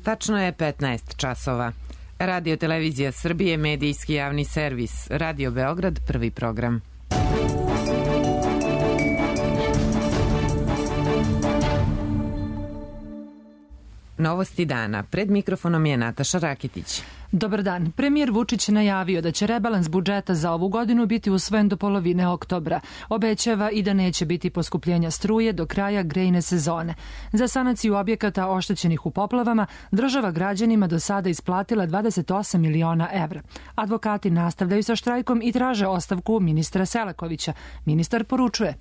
Tačno je 15 časova. Radio Televizija Srbije, medijski javni servis. Radio Beograd, prvi program. Novosti dana. Pred mikrofonom je Nataša Rakitić. Dobar dan. Premijer Vučić najavio da će rebalans budžeta za ovu godinu biti usvojen do polovine oktobra. Obećava i da neće biti poskupljenja struje do kraja grejne sezone. Za sanaciju objekata oštećenih u poplavama država građanima do sada isplatila 28 miliona evra. Advokati nastavljaju sa štrajkom i traže ostavku ministra Selakovića. Ministar poručuje: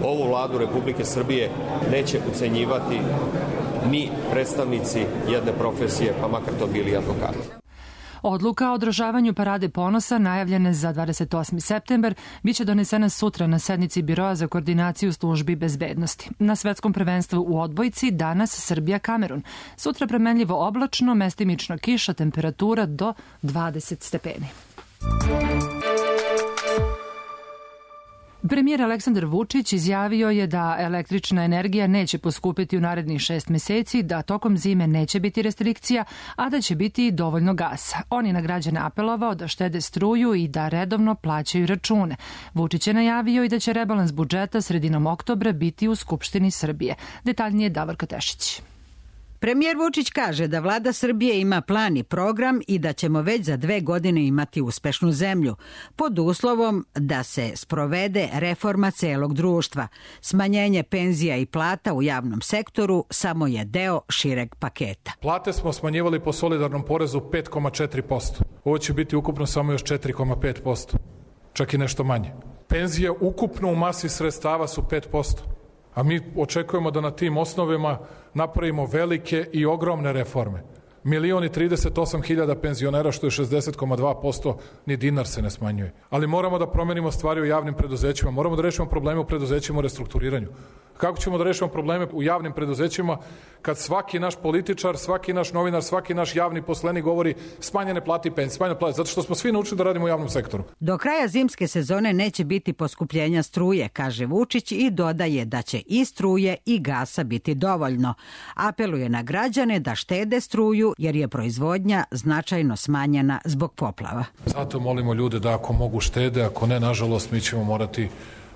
Ovu vladu Republike Srbije neće ucenjivati ni predstavnici jedne profesije, pa makar to bili advokati. Odluka o održavanju Parade ponosa, najavljene za 28. septembar, biće donesena sutra na sednici Biroa za koordinaciju službi bezbednosti. Na svetskom prvenstvu u odbojci danas Srbija-Kamerun. Sutra premenljivo oblačno, mestimično kiša, temperatura do 20 stepeni. Premijer Aleksandar Vučić izjavio je da električna energija neće poskupiti u narednih 6 meseci, da tokom zime neće biti restrikcija, a da će biti dovoljno gasa. On je na građane apelovao da štede struju i da redovno plaćaju račune. Vučić je najavio i da će rebalans budžeta sredinom oktobra biti u Skupštini Srbije. Detaljnije Davorka Tešić. Premijer Vučić kaže da vlada Srbije ima plan i program i da ćemo već za 2 godine imati uspešnu zemlju, pod uslovom da se sprovede reforma celog društva. Smanjenje penzija i plata u javnom sektoru samo je deo šireg paketa. Plate smo smanjivali po solidarnom porezu 5,4%. Ovo će biti ukupno samo još 4,5%. Čak i nešto manje. Penzije ukupno u masi sredstava su 5%. A mi očekujemo da na tim osnovima napravimo velike i ogromne reforme. 1.038.000 penzionera, što je 60,2%, ni dinar se ne smanjuje. Ali moramo da promenimo stvari u javnim preduzećima, moramo da rešimo probleme u preduzećima u restrukturiranju. Kako ćemo da rešimo probleme u javnim preduzećima kad svaki naš političar, svaki naš novinar, svaki naš javni poslenik govori smanjene plate i penzije, smanjene plate, zato što smo svi naučili da radimo u javnom sektoru. Do kraja zimske sezone neće biti poskupljenja struje, kaže Vučić, i dodaje da će i struje i gasa biti dovoljno. Apeluje na građane da štede struju jer je proizvodnja značajno smanjena zbog poplava. Zato molimo ljude da ako mogu štede, ako ne, nažalost, mi ćemo morati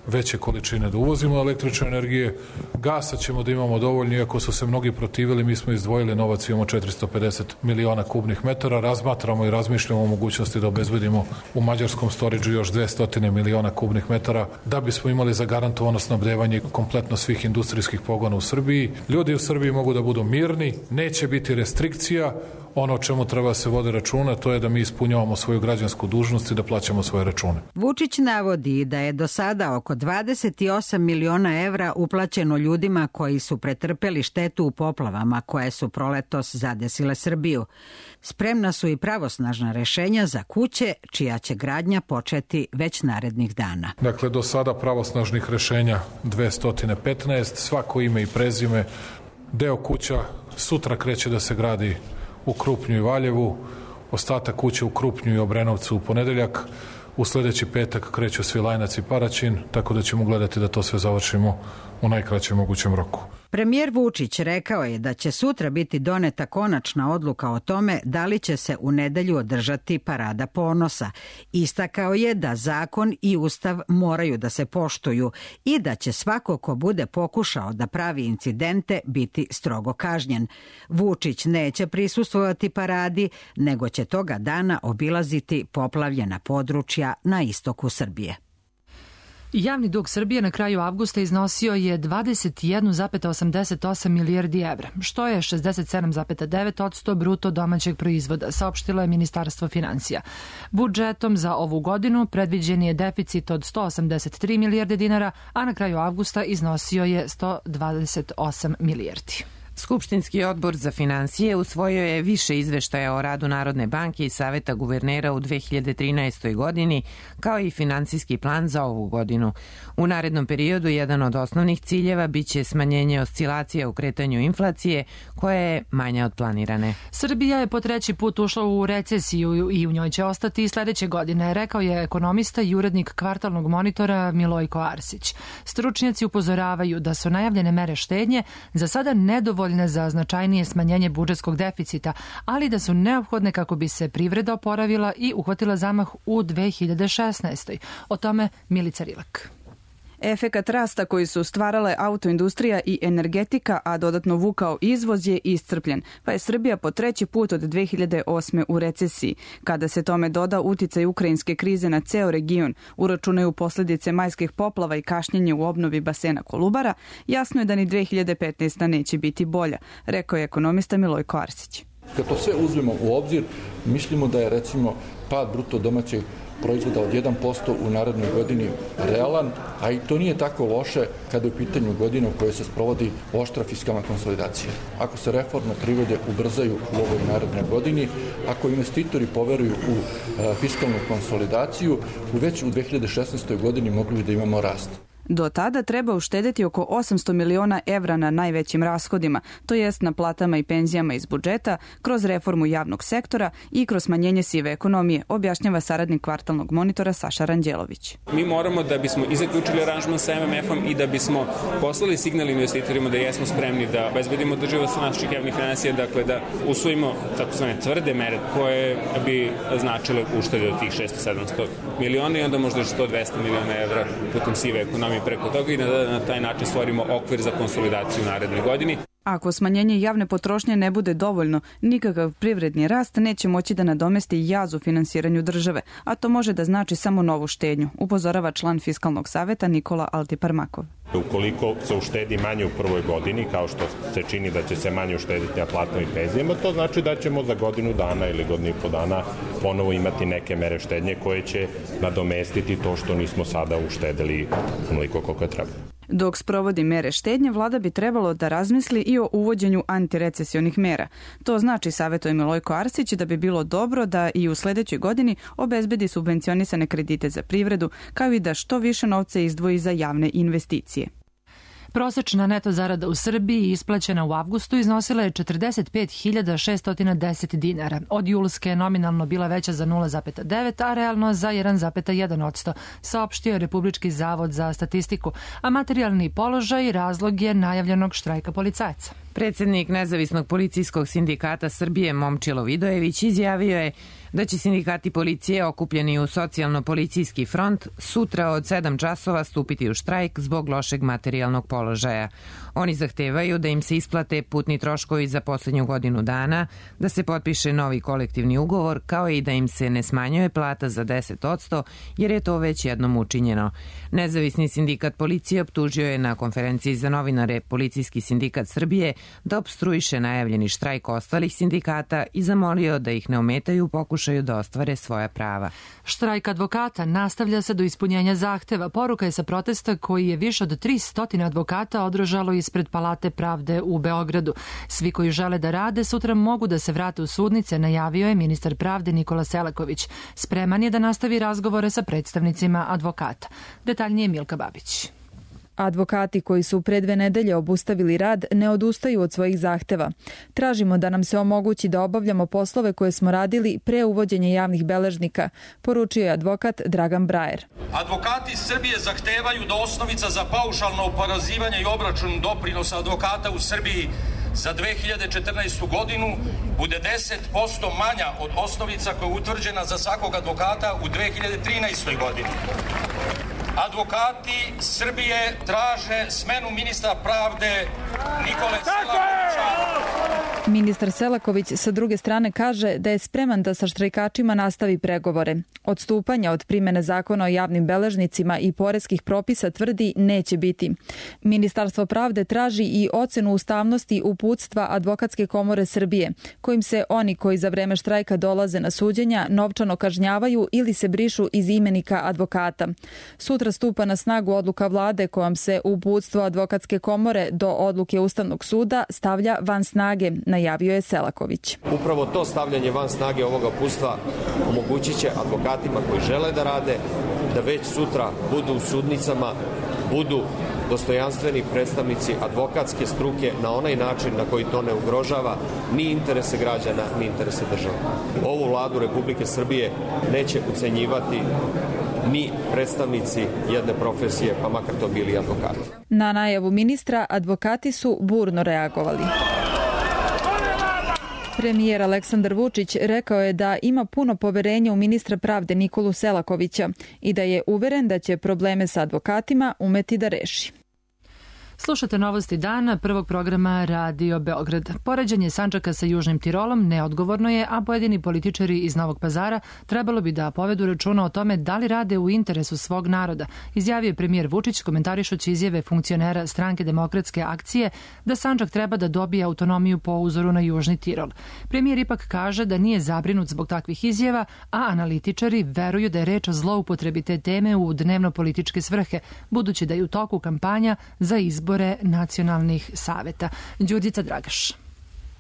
veće količine da uvozimo električne energije. Gasa ćemo da imamo dovoljno, iako su se mnogi protivili, mi smo izdvojili novac, imamo 450 miliona kubnih metara, razmatramo i razmišljamo o mogućnosti da obezbedimo u mađarskom storidžu još 200 miliona kubnih metara, da bismo imali zagarantovano snabdevanje kompletno svih industrijskih pogona u Srbiji. Ljudi u Srbiji mogu da budu mirni, neće biti restrikcija. Ono o čemu treba se vode računa, to je da mi ispunjavamo svoju građansku dužnost i da plaćamo svoje račune. Vučić navodi da je do sada oko 28 miliona evra uplaćeno ljudima koji su pretrpeli štetu u poplavama koje su proletos zadesile Srbiju. Spremna su i pravosnažna rešenja za kuće čija će gradnja početi već narednih dana. Dakle, do sada pravosnažnih rešenja 215, svako ime i prezime, deo kuća sutra kreće da se gradi u Krupnju i Valjevu, ostatak kuće u Krupnju i Obrenovcu u ponedeljak, u sledeći petak kreću Svilajnac i Paraćin, tako da ćemo gledati da to sve završimo u najkraćem mogućem roku. Premijer Vučić rekao je da će sutra biti doneta konačna odluka o tome da li će se u nedelju održati Parada ponosa. Istakao je da zakon i ustav moraju da se poštuju i da će svako ko bude pokušao da pravi incidente biti strogo kažnjen. Vučić neće prisustvovati paradi, nego će toga dana obilaziti poplavljena područja na istoku Srbije. Javni dug Srbije na kraju avgusta iznosio je 21,88 milijardi evra, što je 67,9% bruto domaćeg proizvoda, saopštilo je Ministarstvo finansija. Budžetom za ovu godinu predviđen je deficit od 183 milijarde dinara, a na kraju avgusta iznosio je 128 milijardi. Skupštinski odbor za finansije usvojio je više izveštaja o radu Narodne banke i Saveta guvernera u 2013. godini, kao i finansijski plan za ovu godinu. U narednom periodu jedan od osnovnih ciljeva biće smanjenje oscilacije u kretanju inflacije, koja je manja od planirane. Srbija je po 3. put ušla u recesiju i u njoj će ostati i sledeće godine, rekao je ekonomista i urednik kvartalnog monitora Milojko Arsić. Stručnjaci upozoravaju da su najavljene mere štednje za sada nedovoljne dovoljne za značajnije smanjenje budžetskog deficita, ali da su neophodne kako bi se privreda oporavila i uhvatila zamah u 2016. O tome Milica Rilak. Efekat rasta koji su stvarale autoindustrija i energetika, a dodatno vukao izvoz, je iscrpljen, pa je Srbija po treći put od 2008. u recesiji. Kada se tome doda uticaj ukrajinske krize na ceo region, uračunaju posledice majskih poplava i kašnjenje u obnovi basena Kolubara, jasno je da ni 2015. neće biti bolja, rekao je ekonomista Milojko Arsić. Kad to sve uzmemo u obzir, mislimo da je recimo pad bruto domaćeg proizvoda od 1% u narednoj godini realan, a i to nije tako loše kada je u pitanju godina u kojoj se sprovodi oštra fiskalna konsolidacija. Ako se reforme privrede ubrzaju u ovoj narednoj godini, ako investitori poveruju u fiskalnu konsolidaciju, već u 2016. godini mogli bi da imamo rast. Do tada treba uštedeti oko 800 miliona evra na najvećim rashodima, to jest na platama i penzijama iz budžeta, kroz reformu javnog sektora i kroz smanjenje sive ekonomije, objašnjava saradnik kvartalnog monitora Saša Ranđelović. Mi moramo, da bismo i zaključili aranžman sa MMF-om i da bismo poslali signal investitorima da jesmo spremni da obezbedimo održivost naših javnih finansija, dakle da usvojimo takozvane tvrde mere koje bi značile uštede od tih 600-700 miliona i onda možda 100-200 miliona evra putem sive ekonomije preko toga i da na taj način stvorimo okvir za konsolidaciju u narednoj godini. Ako smanjenje javne potrošnje ne bude dovoljno, nikakav privredni rast neće moći da nadomesti jaz u finansiranju države, a to može da znači samo novu štednju, upozorava član Fiskalnog saveta Nikola Altiparmakov. Ukoliko se uštedi manje u prvoj godini, kao što se čini da će se manje uštediti na platama i penzijama, to znači da ćemo za godinu dana ili godinu i po dana ponovo imati neke mere štednje koje će nadomestiti to što nismo sada uštedeli onoliko koliko je treba. Dok sprovodi mere štednje, vlada bi trebalo da razmisli i o uvođenju antirecesionih mera. To znači, savjetuje Milojko Arsić, da bi bilo dobro da i u sledećoj godini obezbedi subvencionisane kredite za privredu, kao i da što više novca izdvoji za javne investicije. Prosečna neto zarada u Srbiji isplaćena u avgustu iznosila je 45.610 dinara. Od julske je nominalno bila veća za 0,9, a realno za 1,1%, saopštio je Republički zavod za statistiku, a materijalni položaj razlog je najavljenog štrajka policajaca. Predsednik Nezavisnog policijskog sindikata Srbije Momčilo Vidojević izjavio je da će sindikati policije okupljeni u socijalno-policijski front sutra od 7 časova stupiti u štrajk zbog lošeg materijalnog položaja. Oni zahtevaju da im se isplate putni troškovi za poslednju godinu dana, da se potpiše novi kolektivni ugovor, kao i da im se ne smanjuje plata za 10%, jer je to već jednom učinjeno. Nezavisni sindikat policije optužio je na konferenciji za novinare Policijski sindikat Srbije da opstruiše najavljeni štrajk ostalih sindikata i zamolio da ih ne ometaju u pokušaju da ostvare svoja prava. Štrajk advokata nastavlja se do ispunjenja zahteva. Poruka je sa protesta koji je više od 300 advokata održalo ispred Palate pravde u Beogradu. Svi koji žele da rade sutra mogu da se vrate u sudnice, najavio je ministar pravde Nikola Selaković. Spreman je da nastavi razgovore sa predstavnicima advokata. Detaljnije Milka Babić. Advokati koji su pre 2 nedelje obustavili rad ne odustaju od svojih zahteva. Tražimo da nam se omogući da obavljamo poslove koje smo radili pre uvođenja javnih beležnika, poručio je advokat Dragan Brajer. Advokati Srbije zahtevaju da osnovica za paušalno oporezivanje i obračun doprinosa advokata u Srbiji za 2014. godinu bude 10% manja od osnovica koja je utvrđena za svakog advokata u 2013. godini. Advokati Srbije traže smenu ministra pravde Nikole Selakovića. Ministar Selaković sa druge strane kaže da je spreman da sa štrajkačima nastavi pregovore. Odstupanja od primene zakona o javnim beležnicima i poreskih propisa tvrdi neće biti. Ministarstvo pravde traži i ocenu ustavnosti uputstva Advokatske komore Srbije, kojim se oni koji za vreme štrajka dolaze na suđenja novčano kažnjavaju ili se brišu iz imenika advokata. Sutra stupa na snagu odluka vlade kojom se uputstvo Advokatske komore do odluke Ustavnog suda stavlja van snage, najavio je Selaković. Upravo to stavljanje van snage ovoga uputstva omogućit će advokatima koji žele da rade da već sutra budu u sudnicama, budu dostojanstveni predstavnici advokatske struke na onaj način na koji to ne ugrožava ni interese građana, ni interese države. Ovu vladu Republike Srbije neće ucenjivati ni predstavnici jedne profesije, pa makar to bili advokati. Na najavu ministra advokati su burno reagovali. Premijer Aleksandar Vučić rekao je da ima puno poverenja u ministra pravde Nikolu Selakovića i da je uveren da će probleme sa advokatima umeti da reši. Slušate novosti dana prvog programa Radio Beograd. Poređenje Sandžaka sa Južnim Tirolom neodgovorno je, a pojedini političari iz Novog Pazara trebalo bi da povedu računa o tome da li rade u interesu svog naroda, izjavio je premijer Vučić komentarišući izjave funkcionera Stranke demokratske akcije da Sandžak treba da dobije autonomiju po uzoru na Južni Tirol. Premijer ipak kaže da nije zabrinut zbog takvih izjava, a analitičari veruju da je reč o zloupotrebi te teme u dnevno-političke svrhe, budući da je u toku kampanja za izbore nacionalnih saveta. Đurđica Dragaš.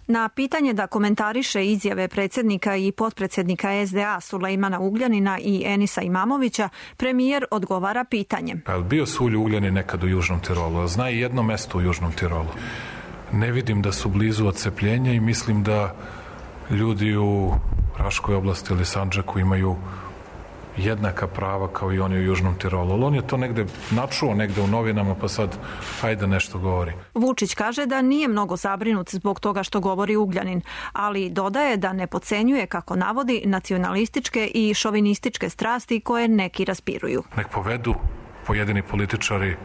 Na pitanje da komentariše izjave predsjednika i potpredsjednika SDA Sulejmana Ugljanina i Enisa Imamovića, premijer odgovara pitanjem. Bio su Ugljanin nekad u Južnom Tirolu, zna i jedno mesto u Južnom Tirolu. Ne vidim da su blizu odcepljenja i mislim da ljudi u Raškoj oblasti ili Sandžaku imaju jednaka prava kao i oni u Južnom Tirolu. Ali on je to negde načuo negde u novinama, pa sad hajde nešto govori. Vučić kaže da nije mnogo zabrinut zbog toga što govori Ugljanin, ali dodaje da ne podcenjuje, kako navodi, nacionalističke i šovinističke strasti koje neki raspiruju. Nek povedu pojedini političari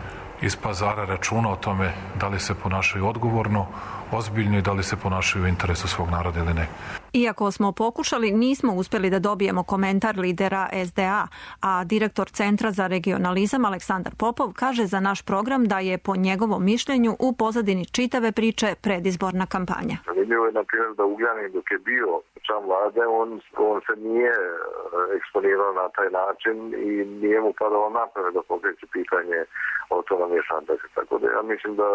iz Pazara računa o tome da li se ponašaju odgovorno, ozbiljno i da li se ponašaju u interesu svog naroda ili ne. Iako smo pokušali, nismo uspjeli da dobijemo komentar lidera SDA, a direktor Centra za regionalizam Aleksandar Popov kaže za naš program da je po njegovom mišljenju u pozadini čitave priče predizborna kampanja. Zanimljivo je, na primjer, da Ugljanin dok je bio član vlade, on se nije eksponirao na taj način i nije mu padalo na pamet da pokreće pitanje autonomije Sandžaka. Tako da ja mislim da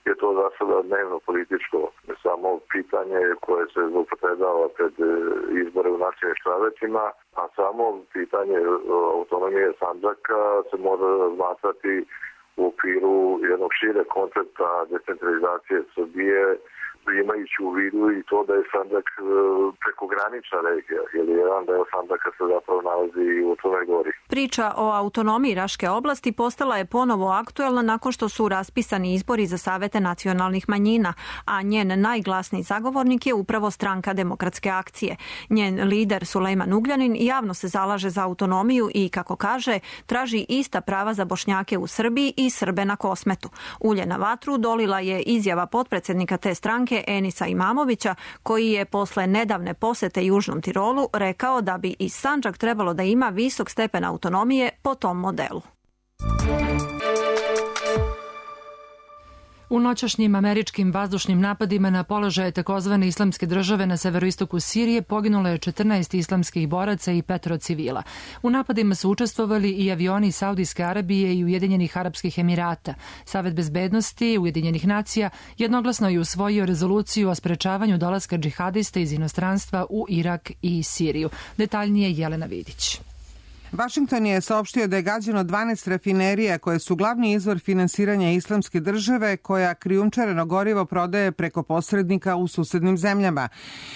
je to za sada dnevno političko samo pitanje koje se zloupotrebljava pred izbore u nacionalnim savetima, a samo pitanje autonomije Sandžaka se mora razmatrati u okviru jednog šire koncepta decentralizacije Srbije, imajući u vidu i to da je Sandžak prekogranična regija, jer jedan deo Sandžaka se zapravo nalazi i u Crnoj Gori. Priča o autonomiji Raške oblasti postala je ponovo aktuelna nakon što su raspisani izbori za savete nacionalnih manjina, a njen najglasniji zagovornik je upravo Stranka demokratske akcije. Njen lider Sulejman Ugljanin javno se zalaže za autonomiju i, kako kaže, traži ista prava za Bošnjake u Srbiji i Srbe na Kosmetu. Ulje na vatru dolila je izjava potpredsjednika te stranke Enisa Imamovića, koji je posle nedavne posete Južnom Tirolu rekao da bi i Sandžak trebalo da ima visok stepen autonomije po tom modelu. U noćašnjim američkim vazdušnim napadima na položaje takozvane islamske države na severoistoku Sirije poginulo je 14 islamskih boraca i 5 civila. U napadima su učestvovali i avioni Saudijske Arabije i Ujedinjenih Arapskih Emirata. Savet bezbednosti Ujedinjenih nacija jednoglasno je usvojio rezoluciju o sprečavanju dolaska džihadista iz inostranstva u Irak i Siriju. Detaljnije Jelena Vidić. Vašington je saopštio da je gađano 12 rafinerija koje su glavni izvor finansiranja islamske države koja krijumčareno gorivo prodaje preko posrednika u susednim zemljama.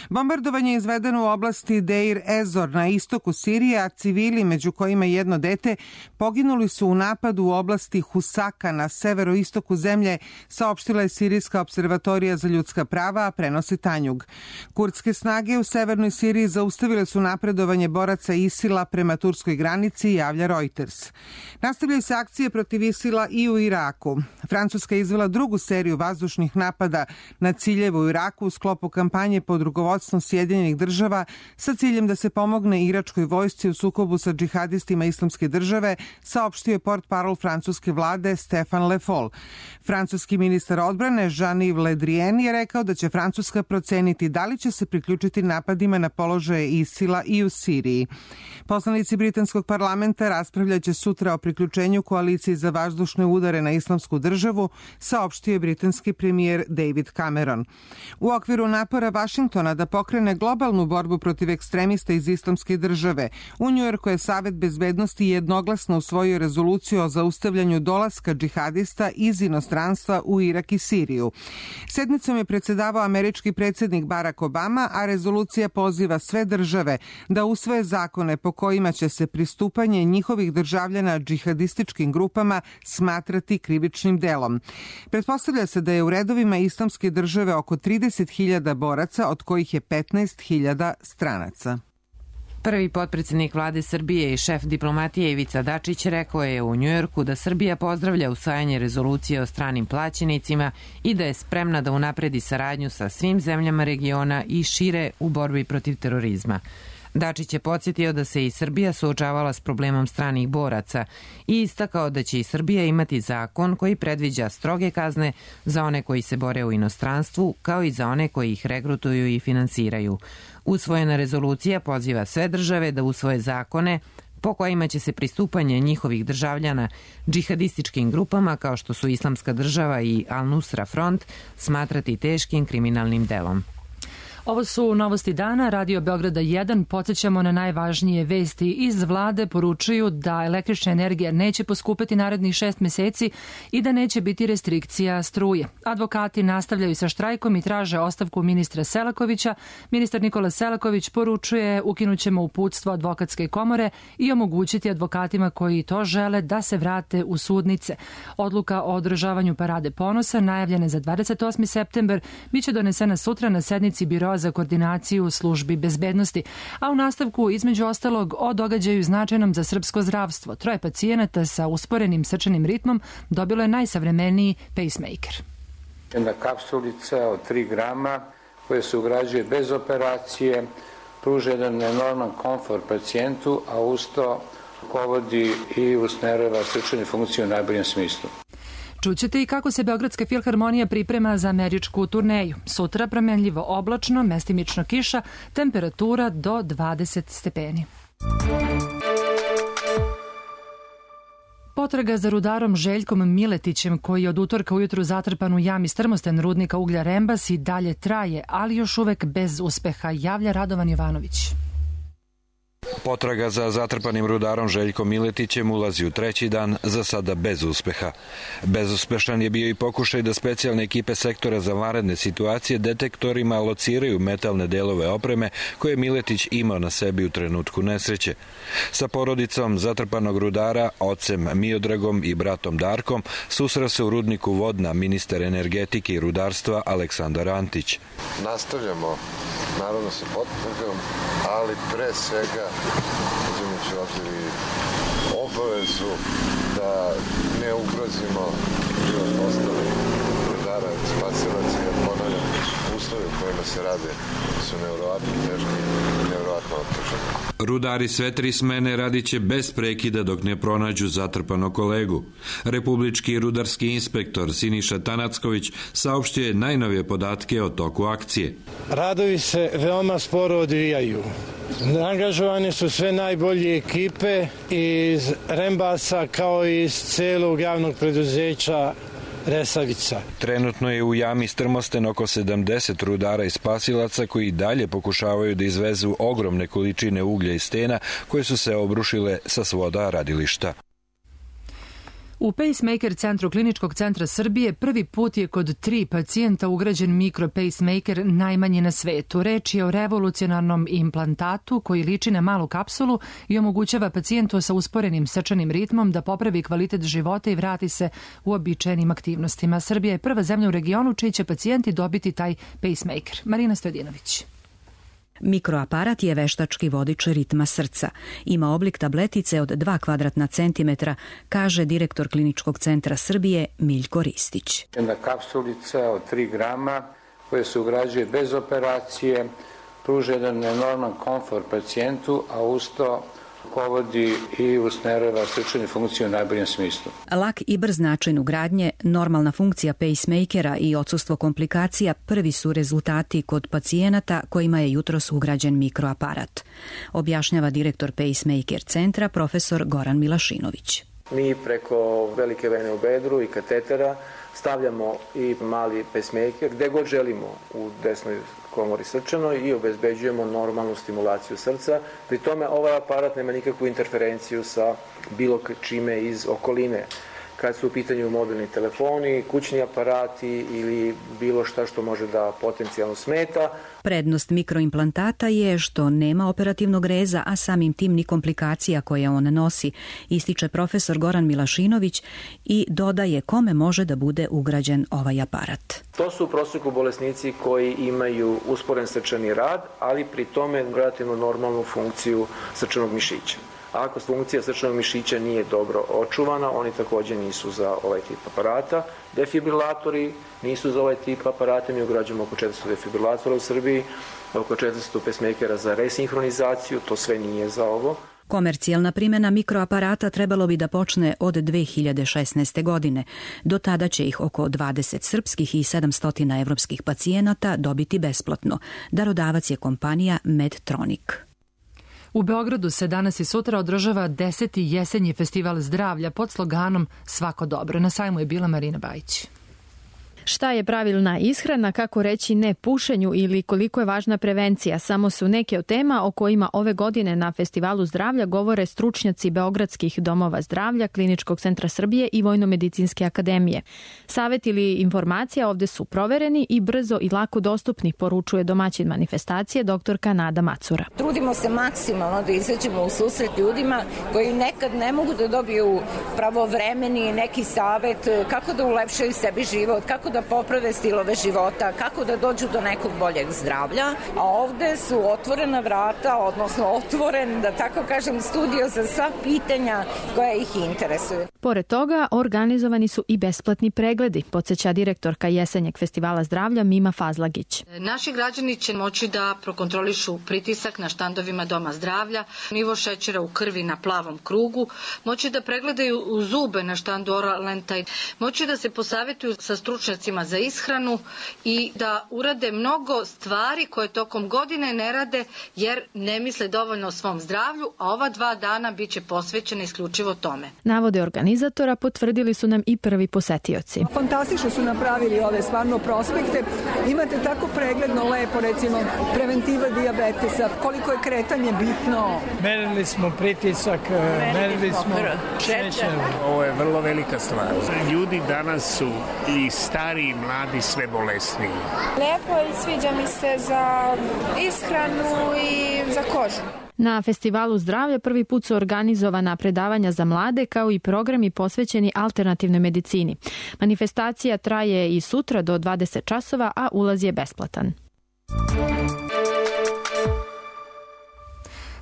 Bombardovanje je izvedeno u oblasti Deir Ezor na istoku Sirije, a civili, među kojima jedno dete, poginuli su u napadu u oblasti Husaka na severoistoku zemlje, saopštila je Sirijska observatorija za ljudska prava, a prenosi Tanjug. Kurdske snage u severnoj Siriji zaustavile su napredovanje boraca ISIL-a prema turskoj granici, javlja Reuters. Nastavljaju se akcije protiv ISIL-a i u Iraku. Francuska je izvela drugu seriju vazdušnih napada na ciljeve u Iraku u sklopu kampanje pod rukovodstvom Sjedinjenih država sa ciljem da se pomogne iračkoj vojsci u sukobu sa džihadistima islamske države, saopštio je portparol francuske vlade Stefan Le Foll. Francuski ministar odbrane Jean-Yves Le Drian je rekao da će Francuska proceniti da li će se priključiti napadima na položaje ISIL-a i u Siriji. Poslanici britanskog parlamenta raspravljaće sutra o priključenju koaliciji za vazdušne udare na islamsku državu, saopštio je britanski premijer David Cameron. U okviru napora Vašingtona da pokrene globalnu borbu protiv ekstremista iz islamske države, u Njujorku je Savet bezbednosti jednoglasno usvojio rezoluciju o zaustavljanju dolaska džihadista iz inostranstva u Irak i Siriju. Sednicom je predsedavao američki predsjednik Barack Obama, a rezolucija poziva sve države da usvoje zakone po kojima će se pristupanje njihovih državljana džihadističkim grupama smatrati krivičnim delom. delom. Pretpostavlja se da je u redovima Islamske države oko 30.000 boraca, od kojih je 15.000 stranaca. Prvi potpredsjednik vlade Srbije i šef diplomatije Ivica Dačić rekao je u Njujorku da Srbija pozdravlja usvajanje rezolucije o stranim plaćenicima i da je spremna da unapredi saradnju sa svim zemljama regiona i šire u borbi protiv terorizma. Dačić je podsjetio da se i Srbija suočavala s problemom stranih boraca i istakao da će i Srbija imati zakon koji predviđa stroge kazne za one koji se bore u inostranstvu, kao i za one koji ih regrutuju i finansiraju. Usvojena rezolucija poziva sve države da usvoje zakone po kojima će se pristupanje njihovih državljana džihadističkim grupama kao što su Islamska država i Al-Nusra Front smatrati teškim kriminalnim delom. Ovo su novosti dana, Radio Beograda 1. Podsjećamo na najvažnije vesti iz vlade. Poručuju da električna energija neće poskupeti narednih 6 meseci i da neće biti restrikcija struje. Advokati nastavljaju sa štrajkom i traže ostavku ministra Selakovića. Ministar Nikola Selaković poručuje ukinućemo uputstvo advokatske komore i omogućiti advokatima koji to žele da se vrate u sudnice. Odluka o održavanju parade ponosa, najavljena za 28. september, biće donesena sutra na sednici Biroa za koordinaciju službi bezbednosti, a u nastavku između ostalog o događaju značajnom za srpsko zdravstvo. 3 pacijenata sa usporenim srčanim ritmom dobilo je najsavremeniji pacemaker. Jedna kapsulica od 3 grama koja se ugrađuje bez operacije, pruža jedan enorman komfort pacijentu, a usto povodi i usmerava srčanu funkciju u najboljem smislu. Čućete i kako se Beogradska filharmonija priprema za američku turneju. Sutra promenljivo oblačno, mestimično kiša, temperatura do 20 stepeni. Potraga za rudarom Željkom Miletićem, koji je od utorka ujutru zatrpan u jami strmosten rudnika uglja Rembas, i dalje traje, ali još uvek bez uspeha, javlja Radovan Jovanović. Potraga za zatrpanim rudarom Željkom Miletićem ulazi u 3. dan, za sada bez uspeha. Bezuspešan je bio i pokušaj da specijalne ekipe sektora za vanredne situacije detektorima lociraju metalne delove opreme koje Miletić imao na sebi u trenutku nesreće. Sa porodicom zatrpanog rudara, ocem Miodragom i bratom Darkom, susreo se u rudniku Vodna ministar energetike i rudarstva Aleksandar Antić. Nastavljamo naravno sa potragom, ali pre svega uzimajući obzir i obavezu da ne ugrozimo život ostalih rudara i spasilaca, jer ponavljam, uslovi u kojima se rade su nevjerovatno teški i nevjerovatno otežani. Rudari sve 3 smene radiće bez prekida dok ne pronađu zatrpanog kolegu. Republički rudarski inspektor Siniša Tanacković saopštio je najnovije podatke o toku akcije. Radovi se veoma sporo odvijaju. Angažovane su sve najbolje ekipe iz Rembasa kao i iz celog javnog preduzeća Resavica. Trenutno je u jami strmosten oko 70 rudara i spasilaca koji dalje pokušavaju da izvezu ogromne količine uglja i stena koje su se obrušile sa svoda radilišta. U pacemaker centru Kliničkog centra Srbije prvi put je kod 3 pacijenta ugrađen mikro-pacemaker, najmanji na svetu. Reč je o revolucionarnom implantatu koji liči na malu kapsulu i omogućava pacijentu sa usporenim srčanim ritmom da popravi kvalitet života i vrati se u običajnim aktivnostima. Srbija je prva zemlja u regionu čiji će pacijenti dobiti taj pacemaker. Marina Stojedinović. Mikroaparat je veštački vodič ritma srca. Ima oblik tabletice od 2 kvadratna centimetra, kaže direktor Kliničkog centra Srbije Miljko Ristić. Jedna kapsulica od 3 grama koja se ugrađuje bez operacije, pruža jedan enorman komfort pacijentu, a usto povodi i usmerava srčanu funkciju u najboljem smislu. Lak i brz način ugradnje, normalna funkcija pacemakera i odsustvo komplikacija prvi su rezultati kod pacijenata kojima je jutros ugrađen mikroaparat, objašnjava direktor pacemaker centra profesor Goran Milašinović. Mi preko velike vene u bedru i katetera stavljamo i mali pacemaker gde god želimo u desnoj komori srčanoj i obezbeđujemo normalnu stimulaciju srca. Pri tome ovaj aparat nema nikakvu interferenciju sa bilo čime iz okoline. kad su u pitanju mobilni telefoni, kućni aparati ili bilo šta što može da potencijalno smeta. Prednost mikroimplantata je što nema operativnog reza, a samim tim ni komplikacija koje on nosi, ističe profesor Goran Milašinović i dodaje kome može da bude ugrađen ovaj aparat. To su u prosjeku bolesnici koji imaju usporen srčani rad, ali pri tome relativno normalnu funkciju srčanog mišića. Ako funkcija srčanog mišića nije dobro očuvana, oni takođe nisu za ovaj tip aparata. Defibrilatori nisu za ovaj tip aparata, mi ugrađujemo oko 400 defibrilatora u Srbiji, oko 400 pacemakera za resinhronizaciju, to sve nije za ovo. Komercijalna primjena mikroaparata trebalo bi da počne od 2016. godine. Do tada će ih oko 20 srpskih i 700 evropskih pacijenata dobiti besplatno. Darodavac je kompanija Medtronic. U Beogradu se danas i sutra održava 10. jesenji festival zdravlja pod sloganom Svako dobro. Na sajmu je bila Marina Bajić. Šta je pravilna ishrana, kako reći ne pušenju ili koliko je važna prevencija, samo su neke od tema o kojima ove godine na Festivalu zdravlja govore stručnjaci Beogradskih domova zdravlja, Kliničkog centra Srbije i Vojno-medicinske akademije. Savet ili informacija ovde su provereni i brzo i lako dostupni, poručuje domaćin manifestacije doktorka Nada Macura. Trudimo se maksimalno da izađemo u susret ljudima koji nekad ne mogu da dobiju pravovremeni neki savet kako da ulepšaju sebi život, kako da poprave stilove života, kako da dođu do nekog boljeg zdravlja, a ovde su otvorena vrata, odnosno otvoren, da tako kažem, studio za sva pitanja koja ih interesuju. Pored toga, organizovani su i besplatni pregledi, podsjeća direktorka jesenjeg festivala zdravlja Mima Fazlagić. Naši građani će moći da prokontrolišu pritisak na štandovima Doma zdravlja, nivo šećera u krvi na plavom krugu, moći da pregledaju zube na štandu Oralentaj, moći da se posavetuju sa stručnjacima za ishranu i da urade mnogo stvari koje tokom godine ne rade jer ne misle dovoljno o svom zdravlju, a ova 2 dana bit će posvećena isključivo tome. Navode organizatora potvrdili su nam i prvi posetioci. Fantastično su napravili ove stvarno prospekte. Imate tako pregledno, lepo, recimo, preventiva dijabetesa, koliko je kretanje bitno. Merili smo pritisak, merili smo šećer. Ovo je vrlo velika stvar. Ljudi danas su i stari i mladi sve bolesniji. Lepo i sviđa mi se za ishranu i za kožu. Na Festivalu zdravlja prvi put su organizovana predavanja za mlade kao i programi posvećeni alternativnoj medicini. Manifestacija traje i sutra do 20 časova, a ulaz je besplatan.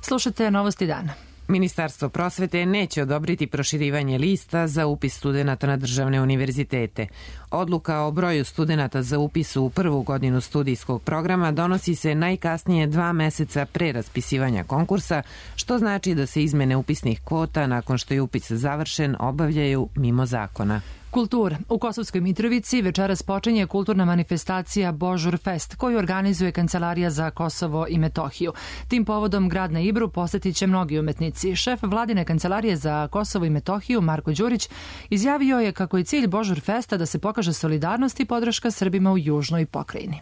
Slušate Novosti dana. Ministarstvo prosvete neće odobriti proširivanje lista za upis studenata na državne univerzitete. Odluka o broju studenata za upis u prvu godinu studijskog programa donosi se najkasnije 2 meseca pre raspisivanja konkursa, što znači da se izmene upisnih kvota nakon što je upis završen obavljaju mimo zakona. Kultura. U Kosovskoj Mitrovici večeras počinje kulturna manifestacija Božur Fest, koju organizuje Kancelarija za Kosovo i Metohiju. Tim povodom grad na Ibru posetit će mnogi umetnici. Šef vladine Kancelarije za Kosovo i Metohiju, Marko Đurić, izjavio je kako je cilj Božur Festa da se pokaže solidarnost i podrška Srbima u južnoj pokrajini.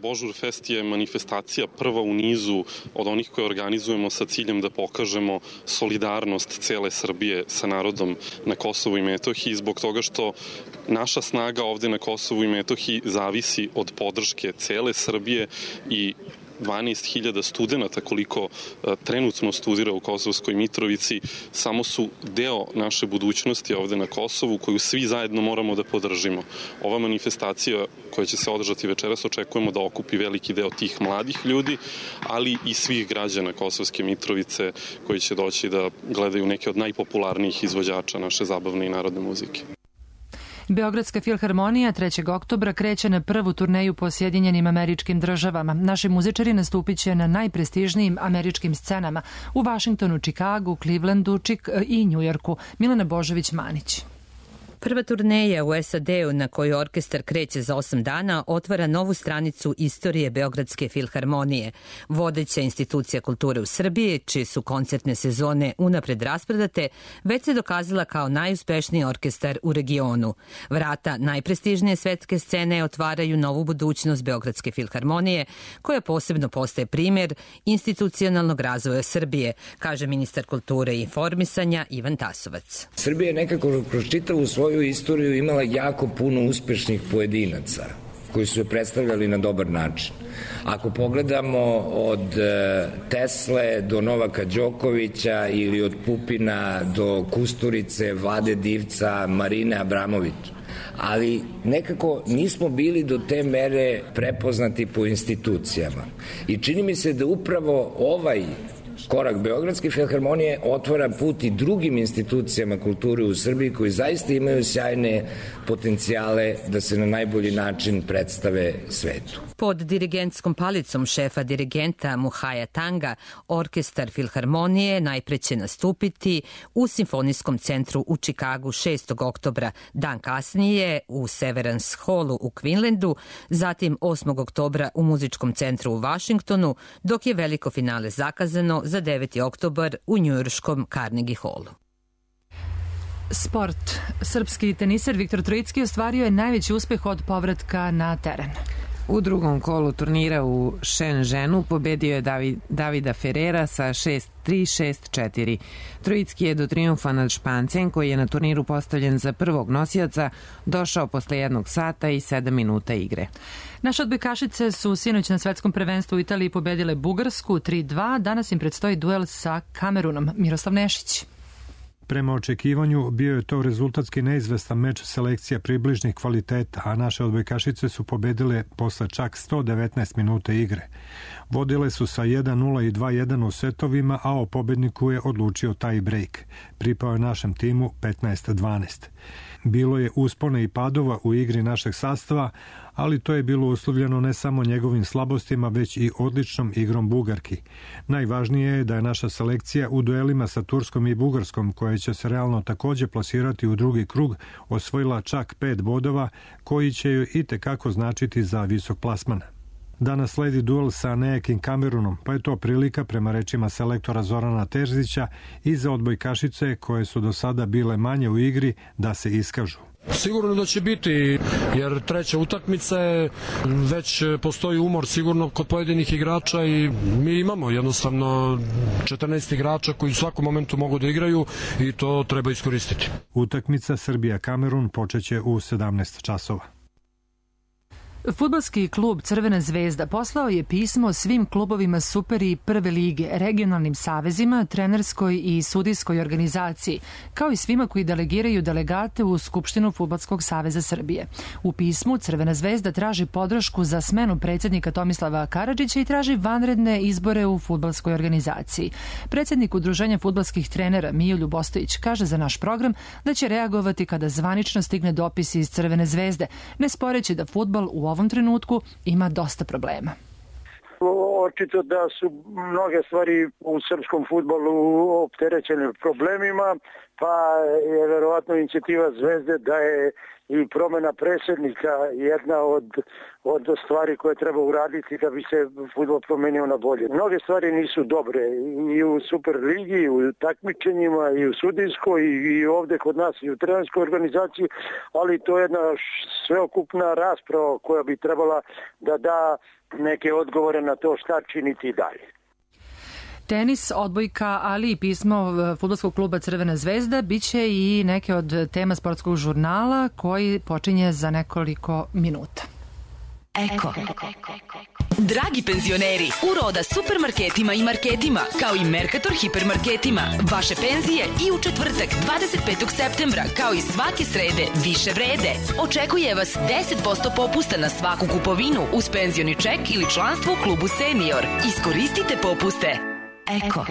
Božur Fest je manifestacija prva u nizu od onih koje organizujemo sa ciljem da pokažemo solidarnost cele Srbije sa narodom na Kosovu i Metohiji, zbog toga što naša snaga ovde na Kosovu i Metohiji zavisi od podrške cele Srbije i 12.000 studenta koliko trenutno studira u Kosovskoj Mitrovici samo su deo naše budućnosti ovde na Kosovu koju svi zajedno moramo da podržimo. Ova manifestacija koja će se održati večeras očekujemo da okupi veliki deo tih mladih ljudi, ali i svih građana Kosovske Mitrovice koji će doći da gledaju neke od najpopularnijih izvođača naše zabavne i narodne muzike. Beogradska filharmonija 3. oktobra kreće na prvu turneju po Sjedinjenim Američkim Državama. Naši muzičari nastupit će na najprestižnijim američkim scenama u Vašingtonu, Čikagu, Clevelandu i Njujorku. Milena Božović-Manić. Prva turneja u SAD-u na koju orkestar kreće za 8 dana otvara novu stranicu istorije Beogradske filharmonije, vodeća institucija kulture u Srbiji, čije su koncertne sezone unapred raspredate, već se dokazala kao najuspešniji orkestar u regionu. Vrata najprestižnije svetske scene otvaraju novu budućnost Beogradske filharmonije, koja posebno postaje primjer institucionalnog razvoja Srbije, kaže ministar kulture i informisanja Ivan Tasovac. Srbija je nekako kroz čitavu svoju istoriju imala jako puno uspešnih pojedinaca koji su je predstavljali na dobar način. Ako pogledamo od Tesle do Novaka Đokovića ili od Pupina do Kusturice, Vlade Divca, Marine Abramović, ali nekako nismo bili do te mere prepoznati po institucijama. I čini mi se da upravo ovaj korak Beogradske filharmonije otvara put i drugim institucijama kulture u Srbiji koji zaista imaju sjajne potencijale da se na najbolji način predstave svetu. Pod dirigentskom palicom šefa dirigenta Muhaja Tanga, orkestar filharmonije najpre će nastupiti u Simfonijskom centru u Čikagu 6. oktobra, dan kasnije u Severance Hallu u Queenslandu, zatim 8. oktobra u Muzičkom centru u Vašingtonu, dok je veliko finale zakazano za 9. oktobar u njujorškom Carnegie Hallu. Sport. Srpski teniser Viktor Trojicki ostvario je najveći uspeh od povratka na teren. U drugom kolu turnira u Shenzhenu pobedio je Davida Ferrera sa 6-3, 6-4. Trojicki je do trijumfa nad Špancem, koji je na turniru postavljen za prvog nosioca, došao posle 1 sata i 7 minuta igre. Naše odbojkašice su sinoć na svetskom prvenstvu u Italiji pobedile Bugarsku 3-2. Danas im predstoji duel sa Kamerunom. Miroslav Nešić. Prema očekivanju bio je to rezultatski neizvestan meč selekcija približnih kvaliteta, a naše odbojkašice su pobedile posle čak 119 minuta igre. Vodile su sa 1-0 i 2-1 u setovima, a o pobedniku je odlučio tie break. Pripao je našem timu 15-12. Bilo je uspona i padova u igri našeg sastava, ali to je bilo uslovljeno ne samo njegovim slabostima, već i odličnom igrom Bugarki. Najvažnije je da je naša selekcija u duelima sa Turskom i Bugarskom, koja će se realno takođe plasirati u drugi krug, osvojila čak 5 bodova, koji će joj i tekako značiti za visok plasman. Danas sledi duel sa nejakim Kamerunom, pa je to prilika, prema rečima selektora Zorana Terzića, i za odbojkašice koje su do sada bile manje u igri da se iskažu. Sigurno da će biti, jer treća utakmica je, već postoji umor sigurno kod pojedinih igrača i mi imamo jednostavno 14 igrača koji u svakom momentu mogu da igraju i to treba iskoristiti. Utakmica Srbija-Kamerun počeće u 17 časova. Fudbalski klub Crvena zvezda poslao je pismo svim klubovima Super i Prve lige, regionalnim savezima, trenerskoj i sudijskoj organizaciji, kao i svima koji delegiraju delegate u Skupštinu Fudbalskog saveza Srbije. U pismu Crvena zvezda traži podršku za smenu predsjednika Tomislava Karadžića i traži vanredne izbore u fudbalskoj organizaciji. Predsjednik Udruženja fudbalskih trenera Mio Ljubostović kaže za naš program da će reagovati kada zvanično stigne dopis iz Crvene zvezde, ne sporeći da fudbal u ovom trenutku ima dosta problema. Očito da su mnoge stvari u srpskom fudbalu opterećene problemima, pa je verovatno inicijativa Zvezde da je i promena predsjednika jedna od stvari koje treba uraditi da bi se fudbal promenio na bolje. Mnoge stvari nisu dobre i u Superligi, i u takmičenjima, i u sudijskoj, i ovde kod nas, i u trenerskoj organizaciji, ali to je jedna sveokupna rasprava koja bi trebala da da neke odgovore na to šta činiti dalje. Tenis, odbojka, ali i pismo fudbalskog kluba Crvena zvezda biće i neke od tema sportskog žurnala koji počinje za nekoliko minuta. Eko. Dragi penzioneri, u Roda supermarketima i marketima, kao i Mercator hipermarketima, vaše penzije i u četvrtak 25. septembra, kao i svake srede, više vrede. Očekuje vas 10% popusta na svaku kupovinu uz penzioni ček ili članstvo u klubu Senior. Iskoristite popuste. Eko.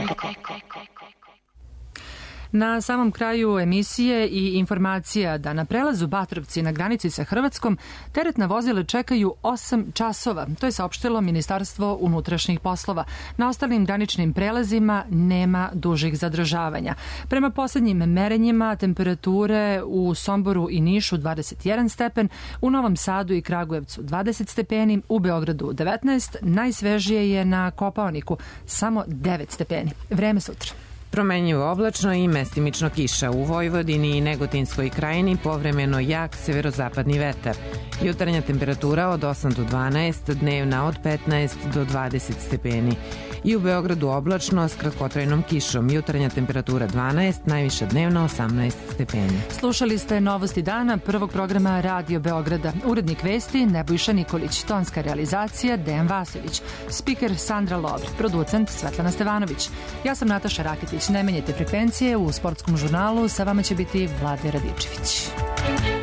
Na samom kraju emisije i informacija da na prelazu Batrovci na granici sa Hrvatskom teretna vozila čekaju 8 časova. To je saopštilo Ministarstvo unutrašnjih poslova. Na ostalim graničnim prelazima nema dužih zadržavanja. Prema poslednjim merenjima temperature u Somboru i Nišu 21 stepen, u Novom Sadu i Kragujevcu 20 stepeni, u Beogradu 19, najsvežije je na Kopaoniku samo 9 stepeni. Vreme sutra. Promenjivo oblačno i mestimično kiša. U Vojvodini i Negotinskoj krajini povremeno jak severozapadni vetar. Jutarnja temperatura od 8 do 12, dnevna od 15 do 20 stepeni. I u Beogradu oblačno s kratkotrajnom kišom. Jutarnja temperatura 12, najviša dnevna 18 stepeni. Slušali ste Novosti dana prvog programa Radio Beograda. Urednik vesti Nebojša Nikolić, tonska realizacija Dejan Vasović, spiker Sandra Lovr, producent Svetlana Stevanović. Ja sam Nataša Rakitić. Ne menjajte frekvencije, u sportskom žurnalu sa vama će biti Vlade Radičević.